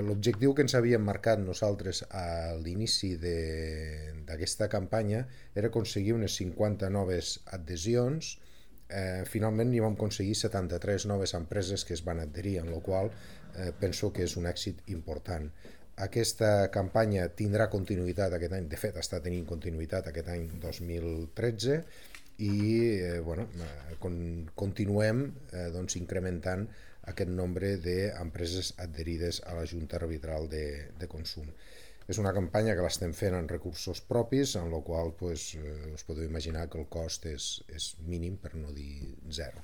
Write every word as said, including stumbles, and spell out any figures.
L'objectiu que ens havíem marcat nosaltres a l'inici d'aquesta campanya era aconseguir unes cinquanta noves adhesions. Eh, finalment n'hi vam aconseguir setanta-tres noves empreses que es van adherir, en la qual eh, penso que és un èxit important. Aquesta campanya tindrà continuïtat aquest any, de fet està tenint continuïtat aquest any dos mil tretze, i eh, bueno, eh, con, continuem eh, doncs, incrementant aquest nombre d'empreses adherides a la Junta Arbitral de, de Consum. És una campanya que l'estem fent en recursos propis, en la qual pues, eh, us podeu imaginar que el cost és, és mínim, per no dir zero.